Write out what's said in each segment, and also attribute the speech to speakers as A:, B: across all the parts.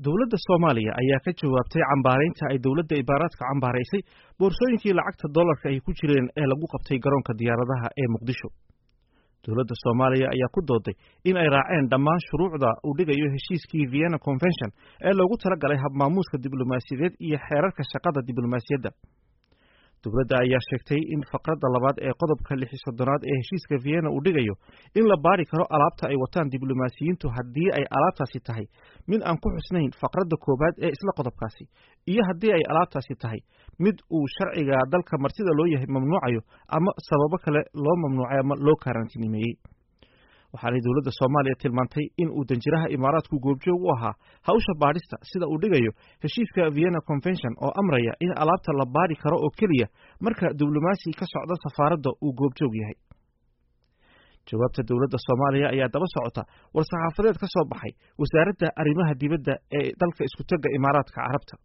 A: Dowladda Soomaaliya ayaa ka jawaabtay cambaaraynta ay dowladda Imaaraadka cambaaraysay boorsooyinkii lacagta dollarka ay ku jireen ee lagu qabtay garoonka diyaaradaha ee Muqdisho. Dowladda Soomaaliya ayaa ku dooday in ay raaceen dhammaan shuruucda uu dhigayo heshiiskii Vienna Convention ee loogu talagalay habmaamuuska diblomaasiyadeed iyo xeerarka shaqada diblomaasiyadda. Dowladda ayaa sheegtay in faqradda labaad ee qodobka 36aad ee heshiiska Vienna uu dhigayo in la baari karo alaabta ay wataan diblomaasiyiintu haddii ay alaabtaasi tahay mid aan ku xusnayn faqradda koowaad ee isla qodobkaasi, iyo haddii ay alaabtaasi tahay mid uu sharciga dalka martida loo yahay mamnuucayo ama sababo kale loo mamnuucay ama loo karantiinimeeyey. Waxaanay dowladda Soomaaliya tilmaantay in uu danjiraha Imaaraadku goobjoog u ahaa hawsha baadhista sida uu dhigayo heshiiska Vienna Convention oo amraya in alaabta la baadhi karo oo keliya marka diblomaasi ka socda safaaradda uu goobjoog yahay. Jawaabta dowladda Soomaaliya ayaa daba socota war-saxaafadeed ka soo baxay wasaaradda arrimaha dibadda ee dalka iskutagga Imaaraadka Carabta.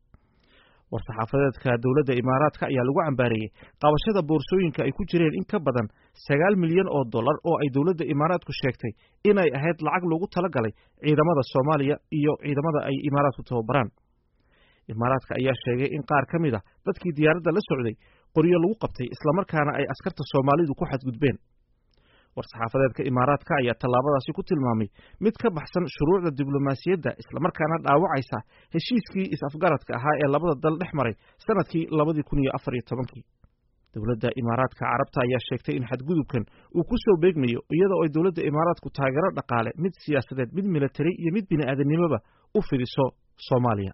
A: War-saxaafadeedka dowladda Imaaraadka ayaa lagu cambaareeyey qabashada boorsooyinka ay ku jireen in ka badan 9 milyan oo dollar oo ay dowladda Imaaraadku sheegtay inay ahayd lacag loogu talagalay ciidamada Soomaaliya iyo ciidamada ay Imaaraadku tababaraan. Imaaraadka ayaa sheegay in qaar ka mid a dadkii diyaaradda la socday qoryo lagu qabtay, islamarkaana ay askarta Soomaalidu ku xadgudbeen. War-saxaafadeedka Imaaraadka ayaa tallaabadaasi ku tilmaamay mid ka baxsan shuruucda diblomaasiyadda, islamarkaana dhaawacaysa heshiiskii is-afgaradka ahaa ee labada dal dhex maray sanadkii 2014-kii. Dowladda Imaaraadka Carabta ayaa sheegtay in xadgudubkan uu ku soo beegmayo iyadoo ay dowladda Imaaraadku taageero dhaqaale, mid siyaasadeed, mid militari iyo mid bini'aadanimoba u fidiso Soomaaliya.